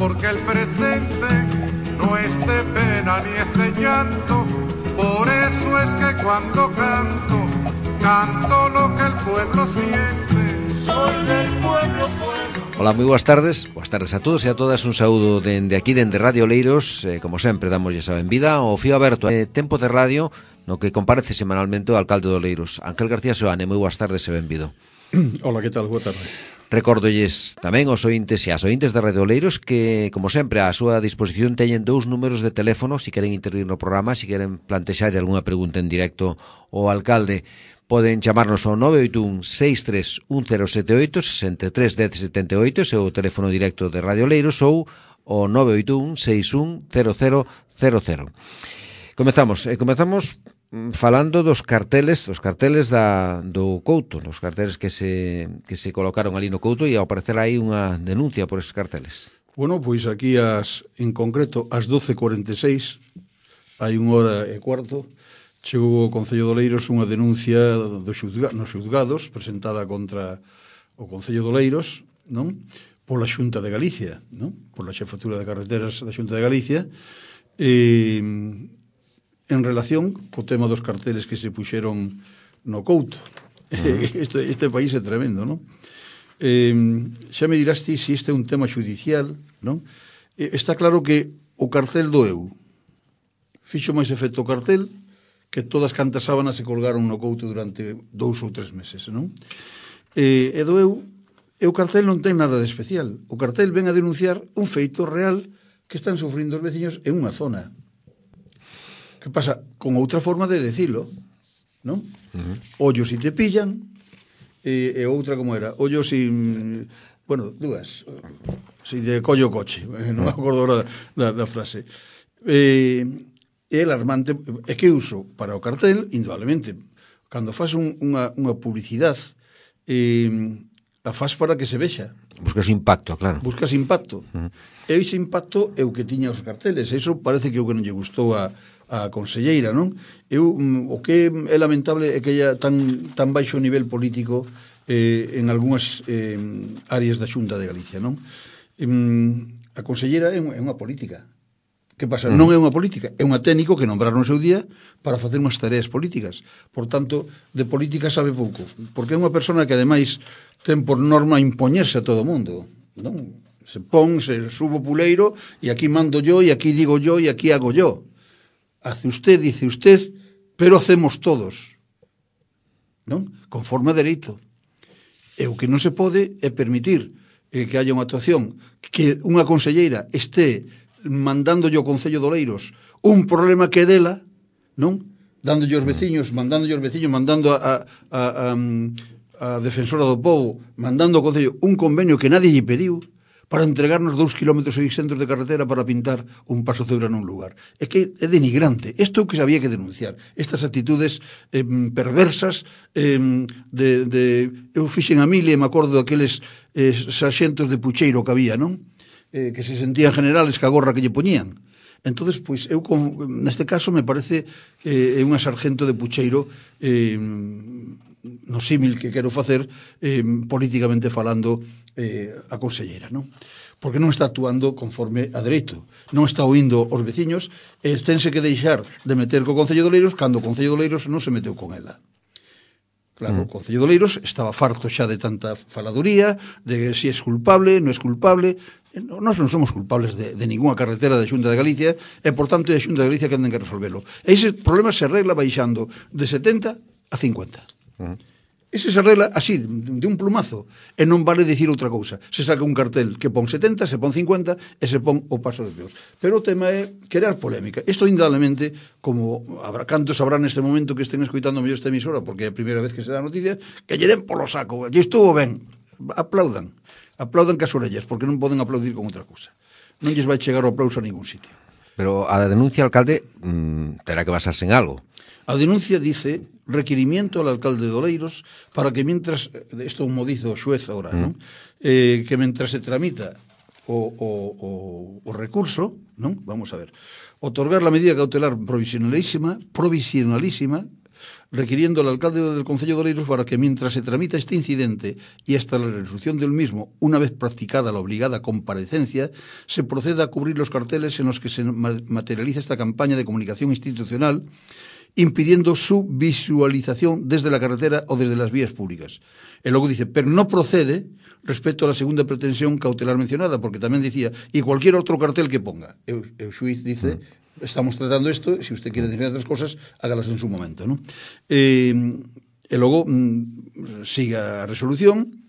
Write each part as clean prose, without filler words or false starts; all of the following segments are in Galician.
porque el presente no es de pena ni es de llanto. Por eso es que cuando canto, canto lo que el pueblo siente. Soy del pueblo, pueblo. Ola, moi boas tardes a todos e a todas. Un saúdo dende aquí, dende Radio Oleiros. Como sempre, damoslle a benvida ao fío aberto Tempo de Radio, no que comparece semanalmente o alcalde de Oleiros, Ángel García Seoane. Moi boas tardes e benvido. Ola, que tal? Boa tarde. Recórdolles tamén aos ointes e as ointes de Radio Oleiros que, como sempre, a súa disposición teñen dous números de teléfono se queren intervir no programa, se queren plantexar algunha pregunta en directo ao alcalde. Poden chamarnos ao 981-631078, 631078, ese é o teléfono directo de Radio Oleiros, ou o 981-610000. Comezamos falando dos carteles do Couto, dos carteles que se colocaron ali no Couto, e ao parecer hai unha denuncia por esos carteles. Bueno, pois aquí en concreto ás 12:46, hai unha hora e cuarto, chegou ao Concello de Oleiros unha denuncia nos xulgados presentada contra o Concello de Oleiros, non? Pola Xunta de Galicia, non? Pola Xefatura de Carreteras da Xunta de Galicia, en relación co tema dos carteles que se puxeron no Couto. Este país é tremendo, non? Xa me dirás ti se este é un tema judicial, non? Está claro que o cartel doeu. Fixo máis efecto o cartel que todas cantas sábanas se colgaron no Couto durante 2 ou 3 meses, non? E doeu, e o cartel non ten nada de especial. O cartel ven a denunciar un feito real que están sufrindo os veciños en unha zona. Que pasa? Con outra forma de decilo, non? Ollo si te pillan, e outra como era, ollo si... Bueno, dúas. Si de collo o coche, non me acordo ahora da frase. É alarmante, é que uso para o cartel, indudablemente, cando faz unha publicidade, a faz para que se vexa. Buscas impacto, claro. Buscas impacto. E ese impacto é o que tiña os carteles. Eso parece que é o que non lle gustou a conselleira, non? O que é lamentable é que haya tan baixo nivel político en algunhas áreas da Xunta de Galicia, non? A conselleira é unha política. Que pasa? Non é unha política, é unha técnico que nombraron no seu día para facer unhas tareas políticas. Por tanto, de política sabe pouco, porque é unha persona que ademais ten por norma impoñerse a todo o mundo, non? Se subo puleiro e aquí mando yo, e aquí digo yo, e aquí hago yo. Hace usted, dice usted, pero hacemos todos, non? Conforme a dereito. E o que non se pode é permitir que haya unha actuación, que unha conselleira este mandándolle ao Concello de Oleiros un problema que é dela, non? Dándolle aos veciños, mandando a Defensora do Pobo, mandando ao Concello un convenio que nadie lle pediu para entregarnos 2,6 km de carretera para pintar un paso cebra nun lugar. É que é denigrante. Isto é o que se había que denunciar. Estas actitudes perversas eu fixen a mil e me acordo daqueles sarxentos de pucheiro que había, non? Que se sentían generales ca gorra que lle poñían. Entonces, pois, eu neste caso me parece é unha sargento de pucheiro no símil que quero facer políticamente falando a conselleira, non? Porque non está actuando conforme a dereito, non está oindo os veciños e tense que deixar de meter co Concello de Oleiros cando o Concello de Oleiros non se meteu con ela. Claro, o Concello de Oleiros estaba farto xa de tanta faladuría, de si é culpable, non é culpable. Nós non somos culpables de ninguna carretera da Xunta de Galicia e, por tanto, é a Xunta de Galicia que anden que resolvelo. E ese problema se arregla baixando de 70 a 50. Ese se arregla así, de un plumazo, e non vale dicir outra cousa. Se saca un cartel que pon 70, se pon 50 e se pon o paso de peor. Pero o tema é crear polémica. Isto, indudablemente, como cantos habrá neste momento que estén escoitando mellor esta emisora, porque é a primeira vez que se dá noticia, que lle den polo saco, lle estuvo ben, aplaudan cas orellas, porque non poden aplaudir con outra cousa. Non lles vai chegar o aplauso a ningún sitio. Pero a denuncia, alcalde, terá que basarse en algo. A denuncia dice requerimiento al alcalde de Oleiros para que mientras, isto mo dice o xuez agora, non? Que mientras se tramita o recurso, non? Vamos a ver, otorgar la medida cautelar provisionalísima requiriendo al alcalde del Concello de Oleiros para que mientras se tramita este incidente y hasta la resolución del mismo, una vez practicada la obligada comparecencia, se proceda a cubrir los carteles en los que se materializa esta campaña de comunicación institucional, impidiendo su visualización desde la carretera o desde las vías públicas. E logo dice, pero no procede respecto a la segunda pretensión cautelar mencionada, porque tamén dicía, y cualquier outro cartel que ponga. O xuiz dice, estamos tratando isto, se usted quiere decir outras cosas, hágalas en su momento, ¿no? E logo siga a resolución,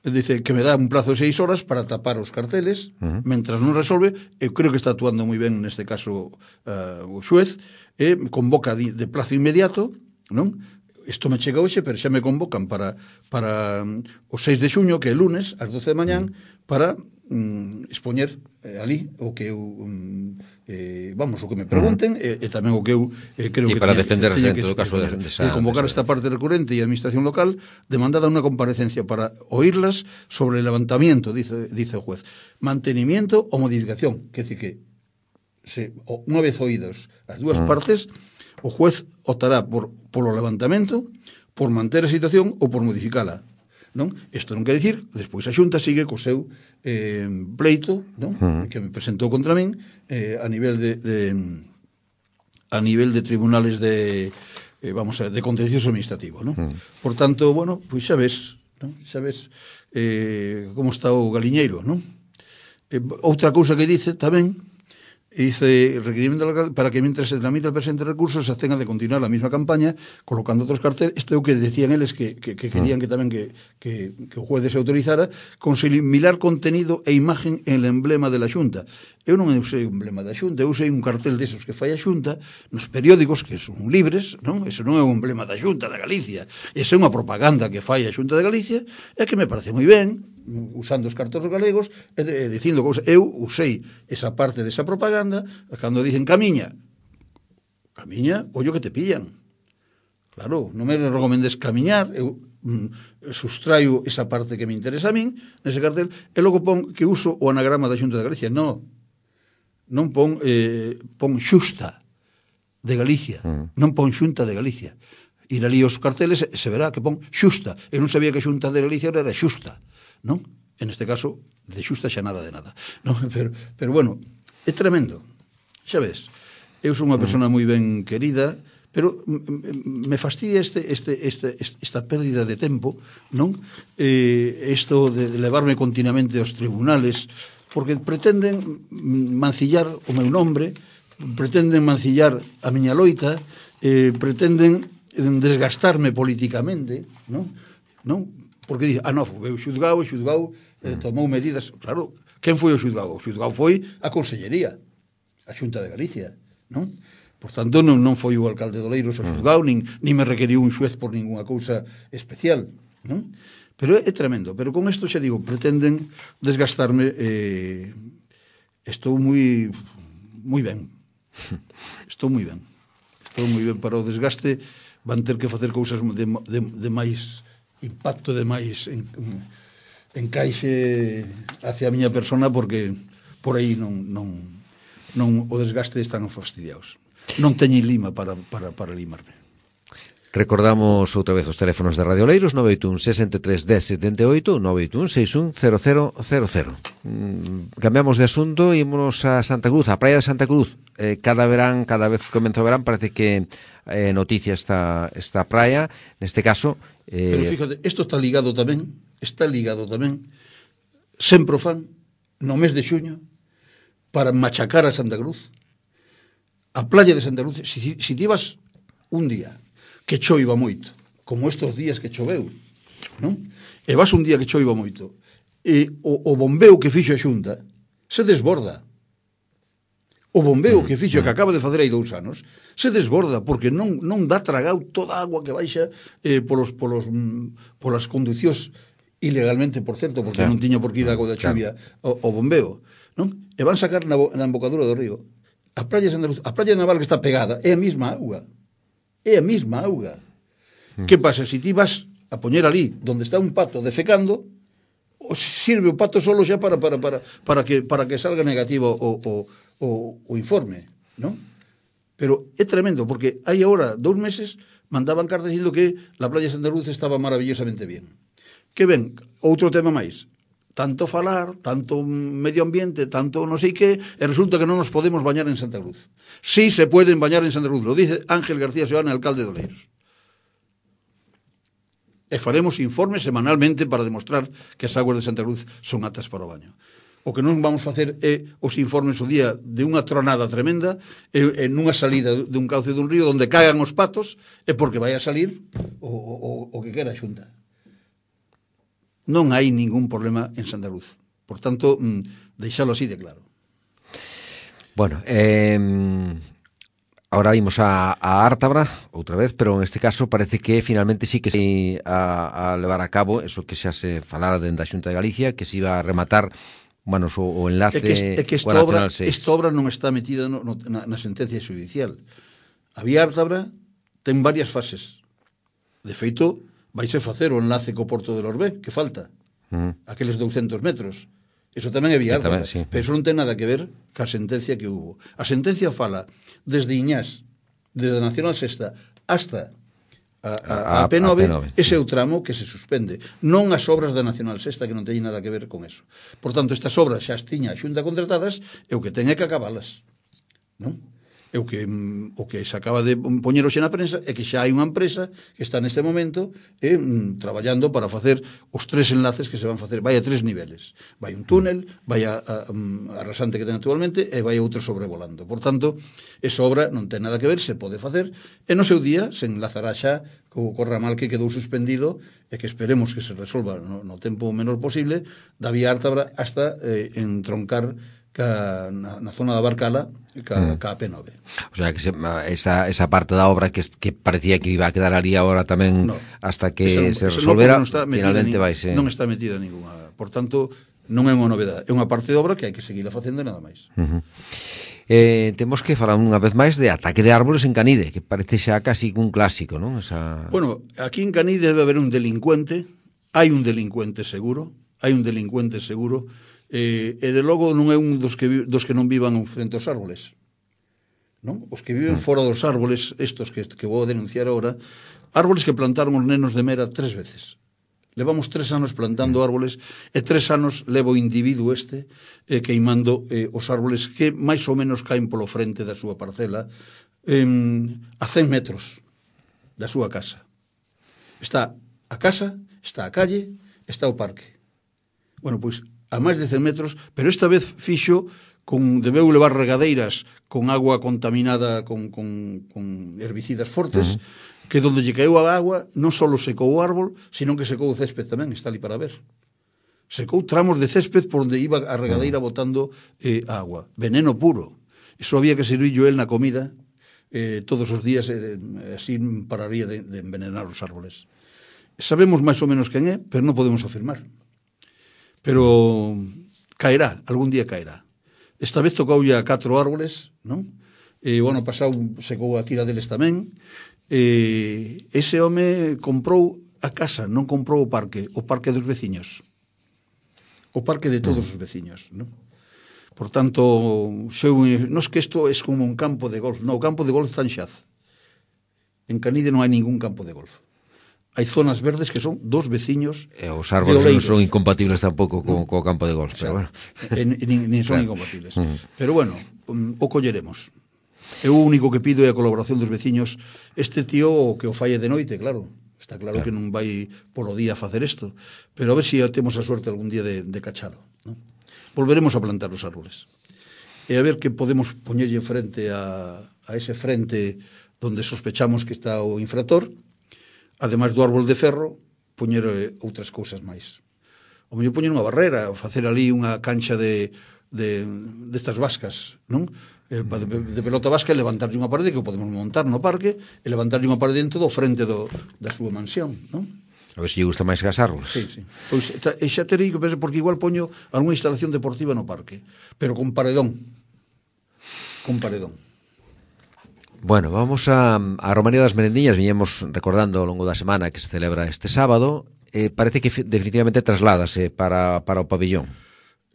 dice que me dá un plazo de 6 horas para tapar os carteles, mentras non resolve. Eu creo que está actuando moi ben neste caso o xuez, convoca de plazo inmediato, non? Isto me chega hoxe, pero xa me convocan para o 6 de xuño, que é lunes, ás 12 de mañán, para expoñer ali o que eu o que me pregunten e tamén o que eu creo que para defender teña en todo caso de convocar esta parte recurrente e a administración local demandada unha comparecencia para oírlas sobre el levantamiento, dice o juez, mantenimiento ou modificación, que decir que unha vez oídos as dúas partes, o juez optará polo levantamento, por manter a situación ou por modificala, non? Isto non quer dicir, despois a Xunta sigue co seu pleito, non? Que me presentou contra min a nivel de tribunales de contencioso administrativo, non? Por tanto, bueno, pois xa ves, non? Xa ves como está o galiñeiro, non? Outra cousa que dice tamén, dice, requerimento para que mientras se tramita el presente recurso se abstenga de continuar la misma campaña colocando otros carteles. Isto é o que decían eles que querían que tamén que o juez se autorizara con similar contenido e imagen en el emblema de la Xunta. Eu non usei un emblema da Xunta, eu usei un cartel desos que fai a Xunta nos periódicos que son libres, non? Eso non é un emblema da Xunta de Galicia, esa é unha propaganda que fai a Xunta de Galicia e que me parece moi ben, usando os cartóns galegos e dicindo cousas. Eu usei esa parte desa propaganda cando dicen camiña, ollo que te pillan. Claro, non me recomendes camiñar, eu sustraio esa parte que me interesa a min nese cartel e logo pon que uso o anagrama da Xunta de Galicia. Non pon xusta de Galicia, non pon Xunta de Galicia. Ir ali os carteles se verá que pon xusta. Eu non sabía que Xunta de Galicia era xusta, non? En este caso, de xusta xa nada de nada, non? Pero bueno, é tremendo. Xa ves, eu sou unha persona moi ben querida, pero me fastidia esta pérdida de tempo, non? Isto de levarme continuamente aos tribunales, porque pretenden mancillar o meu nombre, pretenden mancillar a miña loita, pretenden desgastarme políticamente, non? Porque dice, foi o xudgado tomou medidas. Claro, quen foi o xudgado? O xudgado foi a Consellería, a Xunta de Galicia, non? Por tanto, non foi o alcalde de Oleiros o xudgado, nin me requeriu un xuez por ninguna cousa especial, non? Pero é tremendo. Pero con isto xa digo, pretenden desgastarme. Estou moi ben. Estou moi ben para o desgaste. Van ter que facer cousas de máis impacto, de máis encaixe hacia a miña persona, porque por aí non o desgaste están fastidiados. Non teñen lima para limarme. Recordamos outra vez os teléfonos de Radio Oleiros, 981 63 10 78, 981 61 0000. Cambiamos de asunto e ímonos a Santa Cruz, a Praia de Santa Cruz. Cada vez que comenta o verán, parece que noticia esta praia, neste caso. Pero fíjate, isto está ligado tamén, sempre o fan, no mes de xuño, para machacar a Santa Cruz. A playa de Santa Cruz, si ti vas un día que choiva moito, como estes días que choveu, non? E vas un día que choiva moito, e o bombeo que fixo a Xunta se desborda. O bombeo que fixo, que acaba de facer hai 2 anos, se desborda, porque non dá tragado toda a agua que baixa polas conducións ilegalmente, por certo, porque non tiña por que ir agua da chuvia o bombeo, non? E van sacar na embocadura do río. A praia de Santa Cruz, a praia naval que está pegada, é a mesma auga. É a mesma auga. Que pasa? Se ti vas a poñer ali donde está un pato defecando, sirve o pato solo xa para que salga negativo o informe, non? Pero é tremendo, porque hai agora 2 meses mandaban cartas dicindo que la playa de Santa Cruz estaba maravillosamente bien. Que ben, outro tema máis, tanto falar, tanto medio ambiente, tanto non sei que, e resulta que non nos podemos bañar en Santa Cruz. Sí se pueden bañar en Santa Cruz, lo dice Ángel García Seoane, alcalde de Oleiros. E faremos informes semanalmente para demostrar que as aguas de Santa Cruz son aptas para o baño. O que non vamos facer é os informes o día de unha tronada tremenda e nunha salida dun cauce dun río onde caigan os patos é porque vai a salir o que quera a Xunta. Non hai ningún problema en Santa Cruz. Por tanto, deixalo así de claro. Bueno, ahora vimos a Ártabra outra vez, pero en este caso parece que finalmente sí que se a levar a cabo eso que xa se falara dentro da Xunta de Galicia, que se iba a rematar o enlace coa Nacional 6. Esta obra non está metida na sentencia judicial. A vía Ártabra ten varias fases. De feito, vaise facer o enlace co Porto de Lorbé, que falta. Aqueles 200 metros. Eso tamén é vía Ártabra. Sí. Pero eso non ten nada que ver ca sentencia que hubo. A sentencia fala desde Iñás, desde a Nacional 6 hasta a P9, ese é o tramo que se suspende, non as obras da Nacional 6 que non teñen nada que ver con eso. Por tanto, estas obras xa as tiña a Xunta contratadas e o que ten é que acabalas, non? E o que se acaba de poñer hoxe na prensa é que xa hai unha empresa que está neste momento traballando para facer os 3 enlaces que se van facer. Vai a 3 niveles. Vai un túnel, vai a rasante que ten actualmente e vai outro sobrevolando. Por tanto, esa obra non ten nada que ver, se pode facer, e no seu día se enlazará xa co ramal que quedou suspendido e que esperemos que se resolva no tempo menor posible da vía Ártabra hasta entroncar na zona da Barcala ca P9. O sea, que esa parte da obra que parecía que iba a quedar ali agora tamén hasta que se resolvera, finalmente vaise. Non está metida ninguna. Por tanto, non é unha novedade. É unha parte de obra que hai que seguir facendo nada máis. Temos que falar unha vez máis de ataque de árboles en Canide, que parece xa casi un clásico, non? Bueno, aquí en Canide debe haber un delincuente, hai un delincuente seguro, e de logo non é un dos que non vivan frente aos árboles, non? Os que viven fora dos árboles, estos que vou a denunciar agora, árboles que plantaron os nenos de Mera 3 veces. Levamos 3 anos plantando árboles e 3 anos levo o individuo queimando os árboles que máis ou menos caen polo frente da súa parcela a 100 metros da súa casa. Está a casa, está a calle, está o parque. Bueno, pois a máis de 100 metros, pero esta vez fixo debeu levar regadeiras con agua contaminada con herbicidas fortes, que donde lle caeu a agua non só secou o árbol, sino que secou o césped tamén, está ali para ver. Secou tramos de césped por onde iba a regadeira botando agua. Veneno puro. Iso había que servirlo el na comida todos os días, así pararía de envenenar os árboles. Sabemos máis ou menos quen é, pero non podemos afirmar. Pero caerá, algún día caerá. Esta vez tocoulle a 4 árboles, non? E o ano pasado secou a tira deles tamén. Ese home comprou a casa, non comprou o parque dos veciños. O parque de todos os veciños, non? Por tanto, non é que isto é como un campo de golf. Non, o campo de golf está en Xaz. En Canide non hai ningún campo de golf. Hai zonas verdes que son dos veciños de Oleiros. Os árboles non son incompatibles tampouco co campo de golf. Pero bueno. Nin son incompatibles. Pero bueno, o colleremos. Eu o único que pido é a colaboración dos veciños. Este tío que o falle de noite, claro. Está claro que non vai polo día a facer isto. Pero a ver se temos a suerte algún día de cachalo. ¿No? Volveremos a plantar os árboles. E a ver que podemos poñerlle frente a ese frente donde sospechamos que está o infractor. Ademais do árbol de ferro, poñer outras cousas máis. O mellor poñer unha barrera, facer ali unha cancha destas vascas, non? De pelota vasca e levantarlle unha parede que o podemos montar no parque e levantarlle unha parede dentro do frente da súa mansión, non? A ver se lle gusta máis que as árboles. Sí. Pois xa terei que pensar, porque igual poño algunha instalación deportiva no parque, pero con paredón. Bueno, vamos a Romaría das Merendiñas. Viñemos recordando ao longo da semana que se celebra este sábado. Parece que definitivamente trasládase para o pabillón.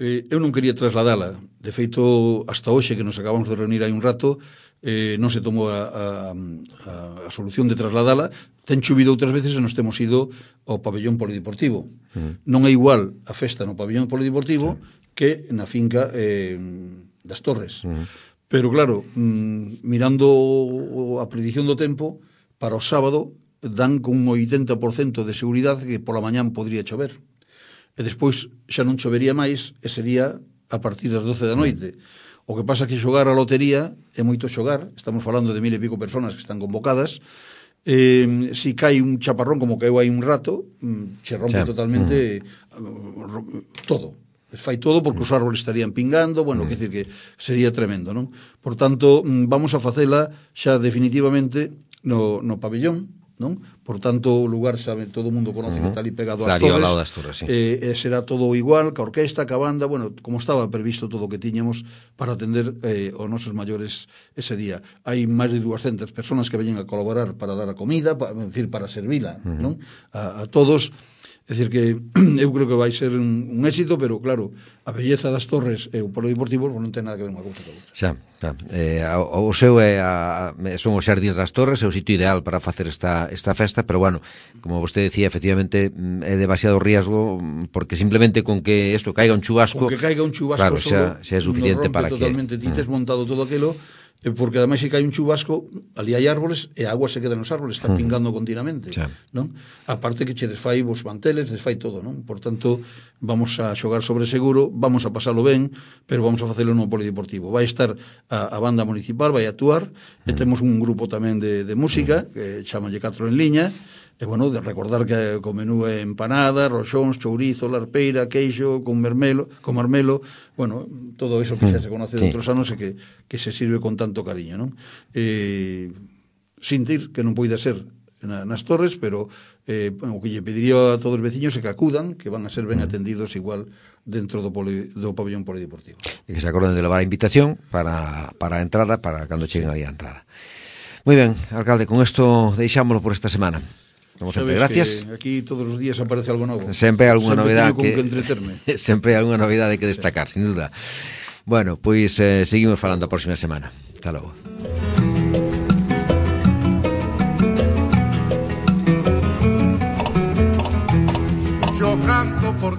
eu non quería trasladala. De feito, hasta hoxe, que nos acabamos de reunir hai un rato, non se tomou a solución de trasladala. Ten chovido outras veces e nos temos ido ao pabellón polideportivo. Non é igual a festa no pabellón polideportivo que na finca das Torres. Pero claro, mirando a predición do tempo, para o sábado dan con un 80% de seguridade que pola mañán podría chover. E despois xa non chovería máis e sería a partir das 12 da noite. O que pasa que xogar a lotería é moito xogar, estamos falando de 1000 e pico personas que están convocadas, si cae un chaparrón como caeu hai un rato, se rompe totalmente todo. Fai todo porque os árboles estarían pingando, bueno, quer dicir que sería tremendo, non? Por tanto, vamos a facela xa definitivamente no pabellón, non? Por tanto, o lugar, sabe, todo o mundo conoce que está ali pegado ás Torres. Ao lado das Torres, sí. Será todo igual, ca orquesta, ca banda, bueno, como estaba previsto todo o que tiñamos para atender aos nosos maiores ese día. Hai máis de 200 personas que veñen a colaborar para dar a comida, para servila, non? A todos. É dicir que eu creo que vai ser un éxito, pero claro, a belleza das Torres e o polideportivo non ten nada que ver unha cousa con outra. Xa. O seu son os xardíns das Torres, é o sitio ideal para facer esta festa, pero bueno, como vostede decía, efectivamente é demasiado riesgo, porque simplemente con que isto caiga un chubasco, con que caiga un chubasco, claro, xa é suficiente para totalmente, ti tes montado todo aquilo, porque ademais se cae un chubasco, ali hai árboles e a agua se queda nos árboles, está pingando continuamente, non? Aparte que che desfai vos manteles, desfai todo, non? Por tanto, vamos a xogar sobre seguro, vamos a pasalo ben, pero vamos a facelo no polideportivo. Vai estar a banda municipal, vai actuar, e temos un grupo tamén de música, que chamanlle 4 en liña, e, bueno, de recordar que o menú é empanada, roxóns, chourizo, larpeira, queixo, con marmelo, bueno, todo eso que xa se conoce de outros anos e que se sirve con tanto cariño, non? Sintir que non poida ser nas Torres, pero o que lle pediría a todos os veciños é que acudan, que van a ser ben atendidos igual dentro do pabellón polideportivo. E que se acorden de levar a invitación para a entrada, para cando cheguen aí a entrada. Moi ben, alcalde, con isto deixámoslo por esta semana. Como sempre, gracias. Aquí todos os días aparece algo novo. Sempre hai algunha novidade que entreterme. Sempre hai algunha novidade que destacar, sin duda. Bueno, pois seguimos falando a próxima semana. Hasta logo. Yo canto por